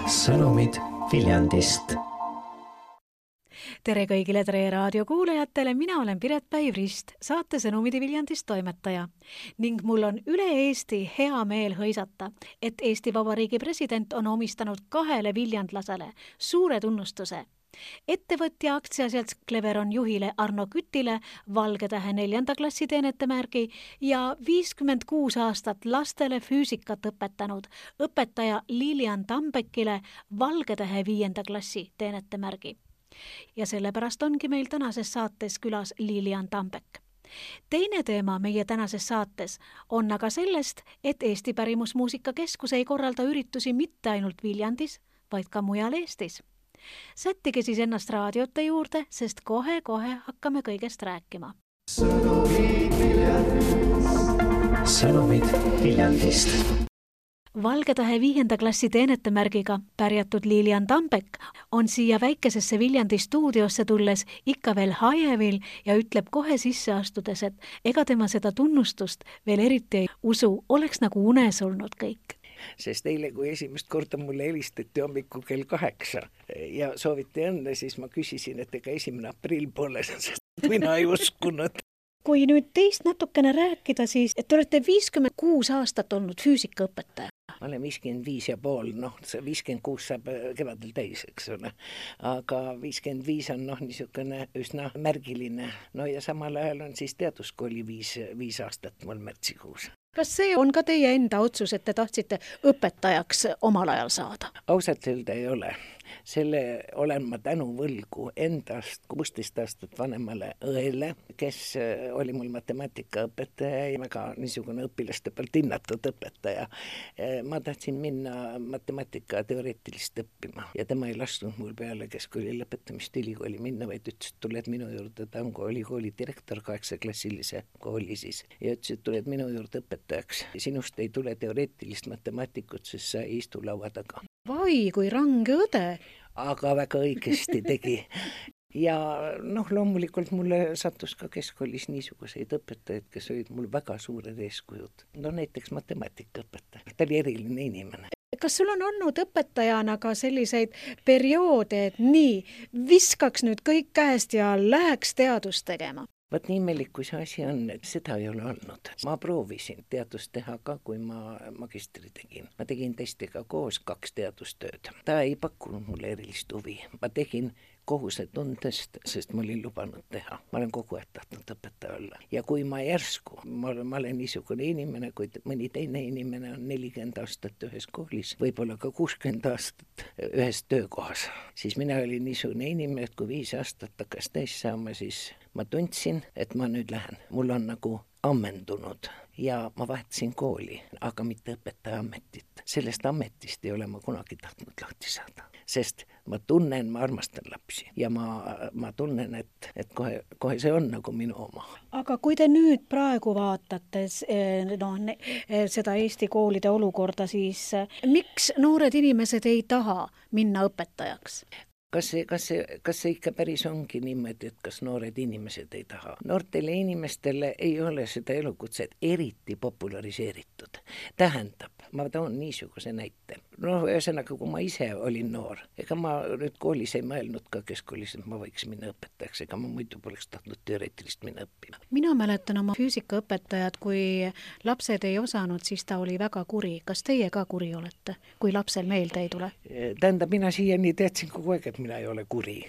Sõnumid Viljandist. Tere kõigile Tre raadio kuulajatele, mina olen Piret Päiv-Rist, saate Sõnumid Viljandist toimetaja. Ning mul on üle Eesti hea meel hõisata, et Eesti Vabariigi president on omistanud 2 viljandlasele suure tunnustuse. Ettevõtja aktsiaselts Cleveron juhile Arno Kütile Valge Tähe 4. klassi teenetemärgi ja 56 aastat lastele füüsikat õpetanud õpetaja Lilian Tambekile Valge Tähe 5. klassi teenetemärgi. Ja sellepärast ongi meil tänases saates külas Lilian Tambek. Teine teema meie tänases saates on aga sellest, et Eesti Pärimusmuusika Keskus ei korralda üritusi mitte ainult Viljandis, vaid ka mujal Eestis. Sättige siis ennast raadiote juurde, sest kohe-kohe hakkame kõigest rääkima. Sõnumid Viljandist. Valge Tähe 5. klassi teenetemärgiga pärjatud Lilian Tambek on siia väikesesse Viljandi stuudiosse tulles ikka veel hajevil ja ütleb kohe sisse astudes, et ega tema seda tunnustust veel eriti ei usu, oleks nagu unes olnud kõik. Sest eile, kui esimest korda mulle helistati hommikul kell 8 ja sooviti õnne, siis ma küsisin, et ega 1. aprill pole, sest mina ei uskunud. Kui nüüd teist natukene rääkida, siis et te olete 56 aastat olnud füüsikaõpetaja. Ma olen 55,5, see 56 saab kevadel täis, eks ole. Aga 55 on niisugune üsna märgiline. No ja samal ajal on siis teaduskooli 5 aastat mul märtsikuus. Kas see on ka teie enda otsus, et te tahtsite õpetajaks omal ajal saada? Ausalt öelda ei ole. Selle olen ma tänu võlgu endast 16 aastat vanemale õele, kes oli mul matemaatikaõpetaja ja väga niisugune õpilaste pealt hinnatud õpetaja. Ma tahtsin minna matemaatika teoreetilist õppima ja tema ei lasknud mul peale keskkooli lõpetamist ülikooli minna, vaid ütles, et tuled minu juurde, ta on ülikooli direktor 8-klassilise kooli siis ja ütles, et tuled minu juurde õpetajaks. Sinust ei tule teoreetilist matemaatikut, sest sa ei istu laua taga. Vai, kui range õde. Aga väga õigesti tegi. Ja loomulikult mulle sattus ka keskkoolis niisuguseid õpetajaid, kes olid mul väga suured eeskujud. Näiteks matemaatikaõpetaja. Ta oli eriline inimene. Kas sul on olnud õpetajana ka selliseid perioode, et nii, viskaks nüüd kõik käest ja läheks teadust tegema? Võt nii imelik, kui see asi on, et seda ei ole olnud. Ma proovisin teadust teha ka, kui ma magistri tegin. Ma tegin testiga koos 2 teadustööd. Ta ei pakkunud mulle erilist huvi. Ma tegin kohusetundest, sest ma olin lubanud teha. Ma olen kogu aeg tahtnud õpetaja olla. Ja kui ma järsku, ma olen niisugune inimene, kui mõni teine inimene on 40 aastat ühes koolis, võib-olla ka 60 aastat ühes töökohas, siis mina olin niisugune inimene, et kui 5 aastat hakkas täis saama, siis ma tundsin, et ma nüüd lähen. Mul on nagu ammendunud ja ma vahetasin kooli, aga mitte õpetaja ametit. Sellest ametist ei ole ma kunagi tahtnud lahti saada, sest ma tunnen, ma armastan lapsi ja ma tunnen, et kohe see on nagu minu oma. Aga kui te nüüd praegu vaatate seda Eesti koolide olukorda, siis miks noored inimesed ei taha minna õpetajaks? Kas see ikka päris ongi niimoodi, et kas noored inimesed ei taha? Noortele inimestele ei ole seda elukutset eriti populariseeritud. Tähendab, ma toon niisuguse näite. Ühesõnaga, kui ma ise olin noor, ega ma nüüd koolis ei mõelnud ka keskkoolis, et ma võiks minna õpetajaks, ega ma muidu poleks tahtnud teoreetilist minna õppima. Mina mäletan oma füüsikaõpetajat, kui lapsed ei osanud, siis ta oli väga kuri. Kas teie ka kuri olete, kui lapsel meelde ei tule? Tähendab, mina siiani teadsin kogu aeg, et mina ei ole kuri.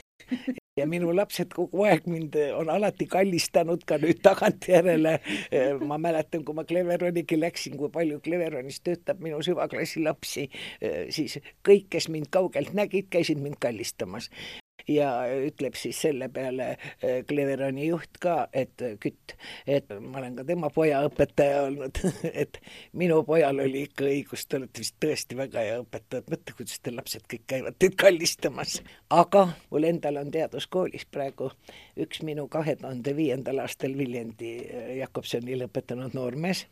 Ja minu lapsed kogu aeg mind on alati kallistanud ka nüüd tagantjärele. Ma mäletan, kui ma Cleveronigi läksin, kui palju Cleveronis töötab minu süvaklassi lapsi, siis kõik, kes mind kaugelt nägid, käisid mind kallistamas. Ja ütleb siis selle peale Cleveroni juht ka, et Kütt, et ma olen ka tema poja õpetaja olnud, et minu pojal oli ikka õigus, te olete vist tõesti väga hea õpetaja, mõtle, kuidas te lapsed kõik käivad teid kallistamas. Aga mul endal on teaduskoolis praegu üks minu 2005. aastal Viljandi Jakobsonil õpetanud noormees,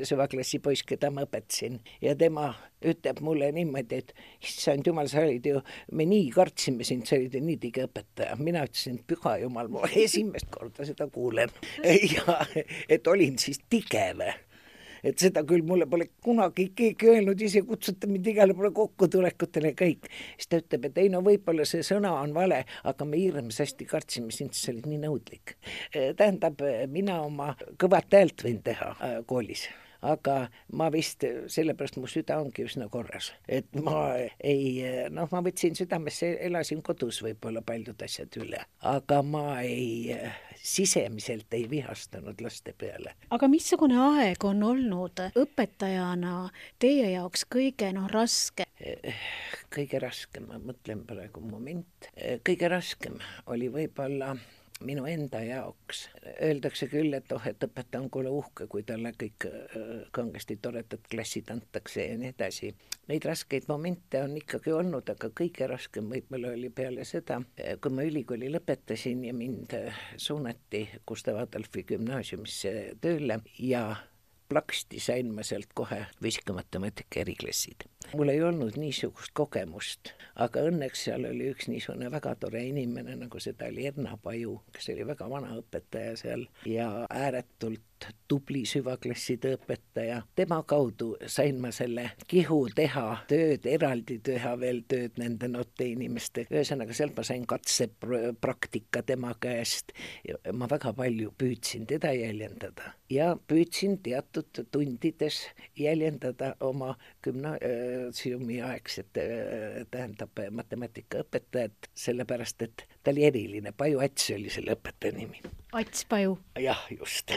süvaklassi poiss, keda ma õpetasin ja tema ütleb mulle niimoodi, et issand jumal, sa olid ju, me nii kartsime sind, sa olid ju nii tige õpetaja. Mina ütlesin, püha jumal, ma esimest korda seda kuulen ja et olin siis tigeve. Et seda küll mulle pole kunagi keegi öelnud, ise kutsuta mind igale pole kokkutulekutele kõik. Siis ta ütleb, et ei no võib-olla see sõna on vale, aga me hirmsasti kartsime sind, sa olid nii nõudlik. Tähendab, mina oma kõvat häält võin teha koolis. Aga ma vist, sellepärast mu süda ongi üsna korras. Et ma ma võtsin südamesse, elasin kodus võib-olla paljud asjad üle. Aga ma sisemiselt ei vihastanud laste peale. Aga missugune aeg on olnud õpetajana teie jaoks kõige raske? Kõige raskem, ma mõtlen praegu moment. Kõige raskem oli võib-olla minu enda jaoks. Öeldakse küll, et et õpetaja on kuule uhke, kui talle kõik kangesti toredad klassid antakse ja nii edasi. Neid raskeid momente on ikkagi olnud, aga kõige raskem võib-olla oli peale seda, kui ma ülikooli lõpetasin ja mind suunati Gustav Adolfi gümnaasiumisse tööle ja plaksti sain ma sealt kohe füüsika-matemaatika eriklassid. Mul ei olnud niisugust kogemust, aga õnneks seal oli üks niisugune väga tore inimene, nagu seda oli Erna Paju, kes oli väga vana õpetaja seal ja ääretult tubli süvaklasside õpetaja. Tema kaudu sain ma selle kihu teha tööd, eraldi teha veel tööd nende noorte inimestega. Ühesõnaga, sealt ma sain katsepraktika tema käest. Ma väga palju püüdsin teda jäljendada ja püüdsin teatud tundides jäljendada oma gümnaasiumi aegset, tähendab matemaatikaõpetajat, sellepärast, et ta oli eriline. Paju Ats oli selle õpetaja nimi. Ats Paju. Jah, just.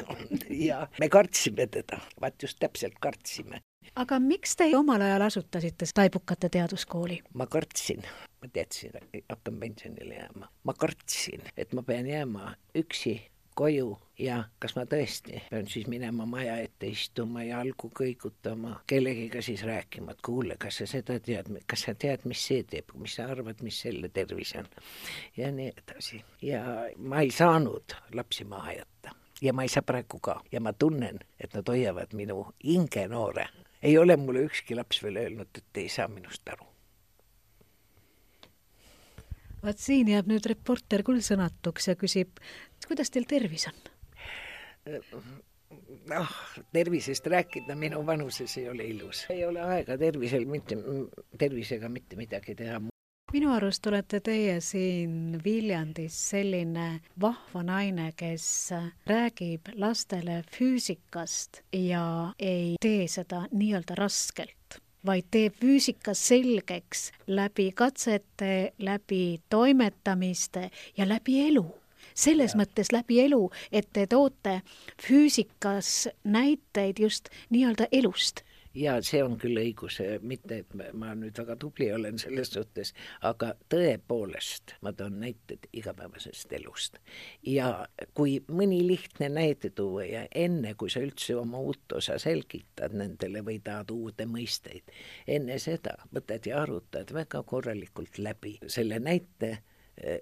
Ja me kartsime teda, vaat just täpselt kartsime. Aga miks te omal ajal asutasite Taibukate teaduskooli? Ma kartsin, ma teadsin, hakkan pensionile jääma. Ma kartsin, et ma pean jääma üksi koju ja kas ma tõesti pean siis minema maja ette istuma ja algu kõigutama, kellegiga siis rääkima, et kuule, kas sa seda tead, kas sa tead, mis see teeb, mis sa arvad, mis selle tervis on ja nii edasi. Ja ma ei saanud lapsi maha jätta ja ma ei saa praegu ka ja ma tunnen, et nad hoiavad minu hinge noore. Ei ole mulle ükski laps veel öelnud, et ei saa minust aru. Vaat siin jääb nüüd reporter küll sõnatuks ja küsib, kuidas teil tervis on? Tervisest rääkida minu vanuses ei ole ilus. Ei ole aega tervisega mitte midagi teha. Minu arust olete teie siin Viljandis selline vahva naine, kes räägib lastele füüsikast ja ei tee seda nii-öelda raskelt, vaid teeb füüsika selgeks läbi katsete, läbi toimetamiste ja läbi elu. Selles mõttes läbi elu, et te toote füüsikas näiteid just nii-öelda elust. Ja see on küll õigus, mitte et ma nüüd väga tubli olen selles suhtes, aga tõepoolest ma toon näited igapäevasest elust. Ja kui mõni lihtne näide tuua ja enne, kui sa üldse oma uut osa selgitad nendele või tahad uude mõisteid, enne seda võtad ja arutad väga korralikult läbi selle näite,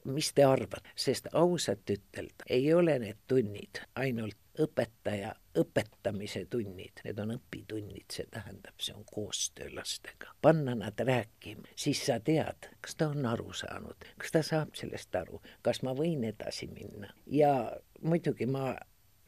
mis te arvad, sest ausalt ütelda ei ole need tunnid ainult õpetaja õpetamise tunnid, need on õpitunnid, see tähendab, see on koostöö lastega. Panna nad rääkima, siis sa tead, kas ta on aru saanud, kas ta saab sellest aru, kas ma võin edasi minna. Ja muidugi ma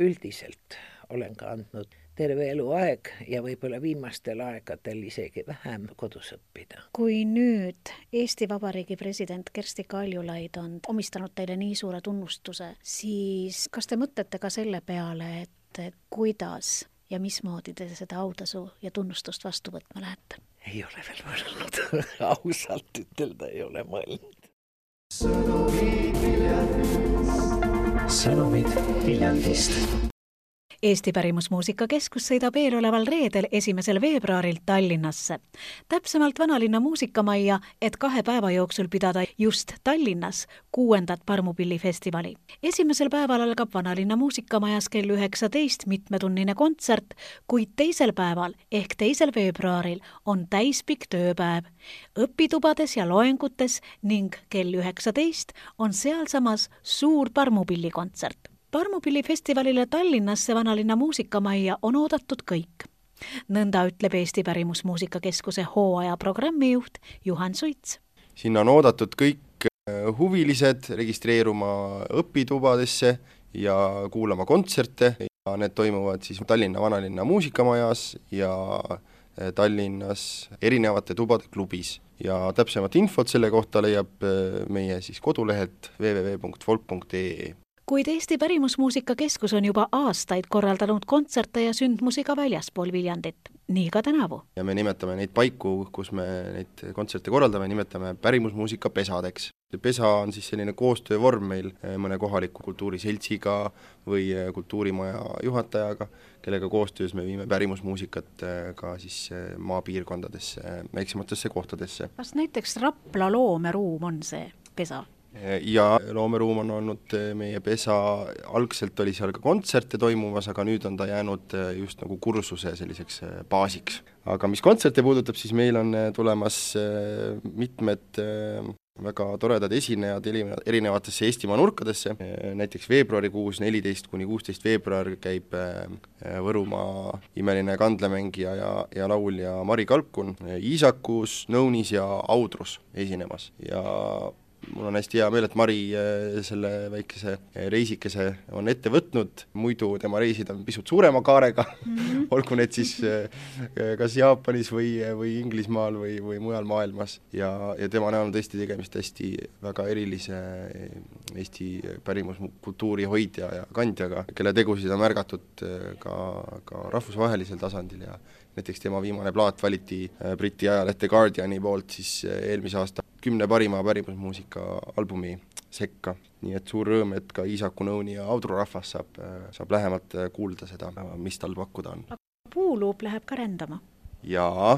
üldiselt olen ka andnud terve eluaeg ja võib-olla viimastel aegadel isegi vähem kodus õppida. Kui nüüd Eesti Vabariigi president Kersti Kaljulaid on omistanud teile nii suure tunnustuse, siis kas te mõtlete ka selle peale, et kuidas ja mismoodi te seda autasu ja tunnustust vastu võtma lähete? Ei ole veel mõelnud. Ausalt ütelda ei ole mõelnud. Sõnumid Viljandist. Eesti Pärimusmuusikakeskus sõidab eeloleval reedel 1. veebruaril Tallinnasse. Täpsemalt Vanalinna muusikamajja, et 2 päeva jooksul pidada just Tallinnas 6. Parmupillifestivali. 1. päeval algab Vanalinna muusikamajas kell 19 mitmetunnine kontsert, kuid 2. päeval ehk 2. veebruaril on täispikk tööpäev. Õpitubades ja loengutes ning kell 19 on sealsamas suur Parmupillikontsert. Parmupillifestivalile Tallinnasse Vanalinna muusikamajja on oodatud kõik. Nõnda ütleb Eesti Pärimusmuusika Keskuse hooaja programmijuht Juhan Suits. Sinna on oodatud kõik huvilised registreeruma õpitubadesse ja kuulama kontserte ja need toimuvad siis Tallinna Vanalinna muusikamajas ja Tallinnas erinevate tubade klubis. Ja täpsemat infot selle kohta leiab meie siis kodulehelt www.folk.ee. Kuid Eesti Pärimusmuusika Keskus on juba aastaid korraldanud kontserte ja sündmusi ka väljaspool Viljandit, nii ka tänavu. Ja me nimetame neid paiku, kus me neid kontserte korraldame, nimetame pärimusmuusika pesadeks. Pesa on siis selline koostöövorm meil mõne kohaliku kultuuriseltsiga või kultuurimaja juhatajaga, kellega koostöös me viime pärimusmuusikat ka siis maapiirkondadesse, väiksematesse kohtadesse. Kas näiteks Rapla loomeruum on see pesa? Ja loomeruum on olnud meie pesa, algselt oli seal ka kontserte toimumas, aga nüüd on ta jäänud just nagu kursuse selliseks baasiks. Aga mis kontserte puudutab, siis meil on tulemas mitmed väga toredad esinejad erinevatesse Eestimaa nurkadesse, näiteks veebruarikuus 14 kuni 16 veebruar käib Võrumaa imeline kandlemängija ja laulja Mari Kalkun Iisakus, Nõunis ja Audrus esinemas ja mul on hästi hea meel, et Mari selle väikese reisikese on ette võtnud, muidu tema reisid on pisut suurema kaarega, olgu need siis kas Jaapanis või Inglismaal või mujal maailmas ja tema näol on tõesti tegemist hästi väga erilise Eesti pärimuskultuuri hoidja ja kandjaga, kelle tegusid on märgatud ka rahvusvahelisel tasandil ja näiteks tema viimane plaat valiti Briti ajalehte Guardiani poolt siis eelmise aasta 10 parima pärimusmuusika albumi sekka. Nii et suur rõõm, et ka Iisaku, Nõuni ja Audru rahvas saab lähemalt kuulda seda, mis tal pakkuda on. Puuluup läheb ka rändama? Jaa,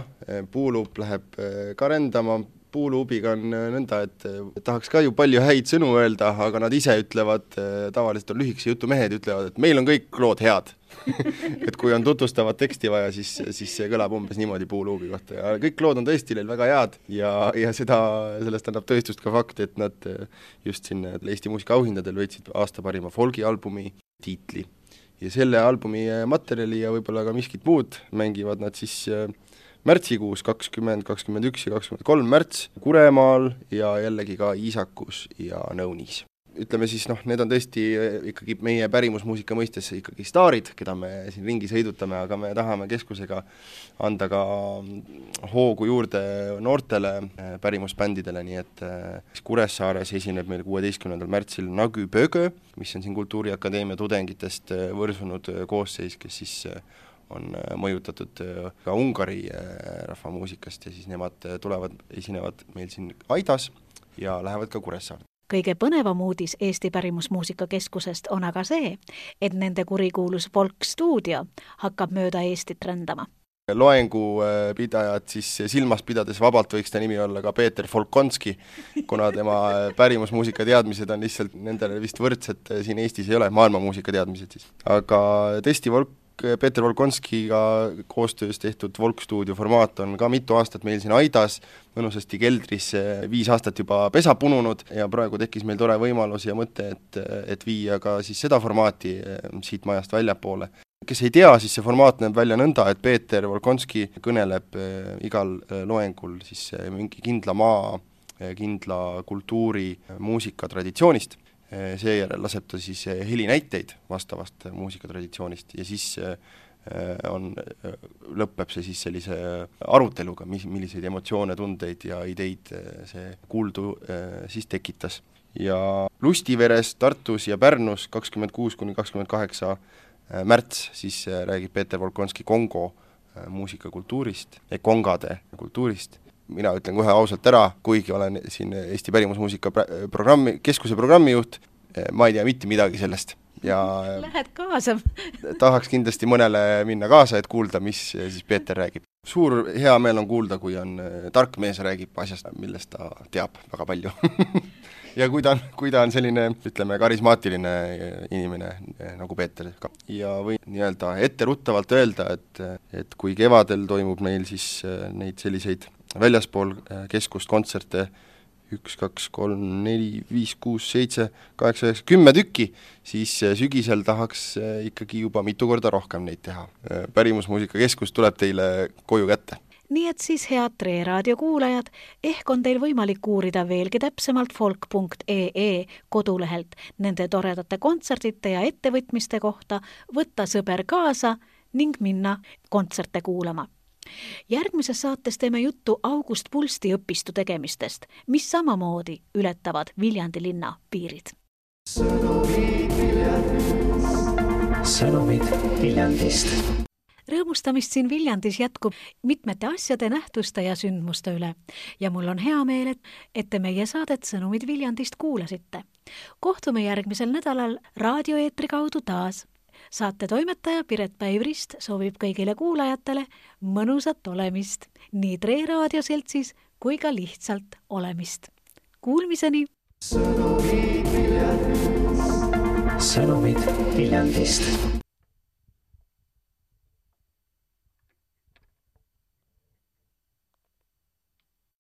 Puuluup läheb ka rändama. Puuluubiga on nõnda, et tahaks ka ju palju häid sõnu öelda, aga nad ise ütlevad, tavaliselt on lühikese jutu mehed, ütlevad, et meil on kõik lood head. Et kui on tutvustavat teksti vaja, siis see kõlab umbes niimoodi Puuluubi kohta ja kõik lood on tõesti neil väga head ja sellest annab tõestust ka fakt, et nad just siin Eesti muusika auhindadel võitsid aasta parima folgialbumi tiitli ja selle albumi materjali ja võib-olla ka miskit muud mängivad nad siis märtsikuus 20, 21 ja 23 märts Kuremaal ja jällegi ka Iisakus ja Nõunis. Ütleme siis, need on tõesti ikkagi meie pärimusmuusika mõistes ikkagi staarid, keda me siin ringi sõidutame, aga me tahame keskusega anda ka hoogu juurde noortele pärimusbändidele, nii et Kuressaares esineb meil 16. märtsil Nagu Pögö, mis on siin Kultuuriakadeemia tudengitest võrsunud koosseis, kes siis on mõjutatud ka Ungari rahvamuusikast ja siis nemad esinevad meil siin Aidas ja lähevad ka Kuressaarde. Kõige põnevam uudis Eesti Pärimusmuusika Keskusest on aga see, et nende kurikuulus Folk Studio hakkab mööda Eestit rändama. Loengupidajad siis silmas pidades vabalt võiks ta nimi olla ka Peeter Volkonski, kuna tema pärimusmuusika teadmised on lihtsalt nendele vist võrdsed siin Eestis ei ole, maailmamuusika teadmised siis. Aga tõesti Peeter Volkonskiga koostöös tehtud Folk Studio formaat on ka mitu aastat meil siin Aidas, mõnusasti keldris 5 aastat juba pesa pununud ja praegu tekkis meil tore võimalus ja mõte, et viia ka siis seda formaati siit majast väljapoole. Kes ei tea, siis see formaat näeb välja nõnda, et Peeter Volkonski kõneleb igal loengul siis mingi kindla maa, kindla kultuuri, muusika traditsioonist. Seejärel laseb ta siis helinäiteid vastavast muusikatraditsioonist ja siis lõpeb see siis sellise aruteluga, milliseid emotsioone, tundeid ja ideid see kuuldu siis tekitas. Ja Lustiveres, Tartus ja Pärnus 26 kuni 28 märts siis räägib Peeter Volkonski Kongo muusikakultuurist, kongade kultuurist. Mina ütlen kohe ausalt ära, kuigi olen siin Eesti Pärimusmuusika keskuse programmijuht, ma ei tea mitte midagi sellest. Ja lähed kaasa? Tahaks kindlasti mõnele minna kaasa, et kuulda, mis siis Peeter räägib. Suur hea meel on kuulda, kui on tark mees räägib asjast, millest ta teab väga palju. Ja kui ta on selline, ütleme, karismaatiline inimene nagu Peeter ka. Ja või nii-öelda etteruttavalt öelda, et kui kevadel toimub meil siis neid selliseid väljaspool keskust kontserte 1, 2, 3, 4, 5, 6, 7, 8, 9, 10 tükki, siis sügisel tahaks ikkagi juba mitu korda rohkem neid teha. Pärimusmuusikakeskus tuleb teile koju kätte. Nii et siis head Tre Raadio kuulajad, ehk on teil võimalik uurida veelgi täpsemalt folk.ee kodulehelt nende toredate kontserdite ja ettevõtmiste kohta, võtta sõber kaasa ning minna kontserte kuulama. Järgmises saates teeme juttu August Pulsti õpistu tegemistest, mis samamoodi ületavad Viljandi linna piirid. Sõnumid Viljandist. Rõõmustamist siin Viljandis jätkub mitmete asjade, nähtuste ja sündmuste üle ja mul on hea meel, et te meie saadet Sõnumid Viljandist kuulasite. Kohtume järgmisel nädalal raadioeetri kaudu taas. Saate toimetaja Piret Päivrist soovib kõigile kuulajatele mõnusat olemist, nii Tre Raadio seltsis kui ka lihtsalt olemist. Kuulmiseni! Sõnumid Viljandist.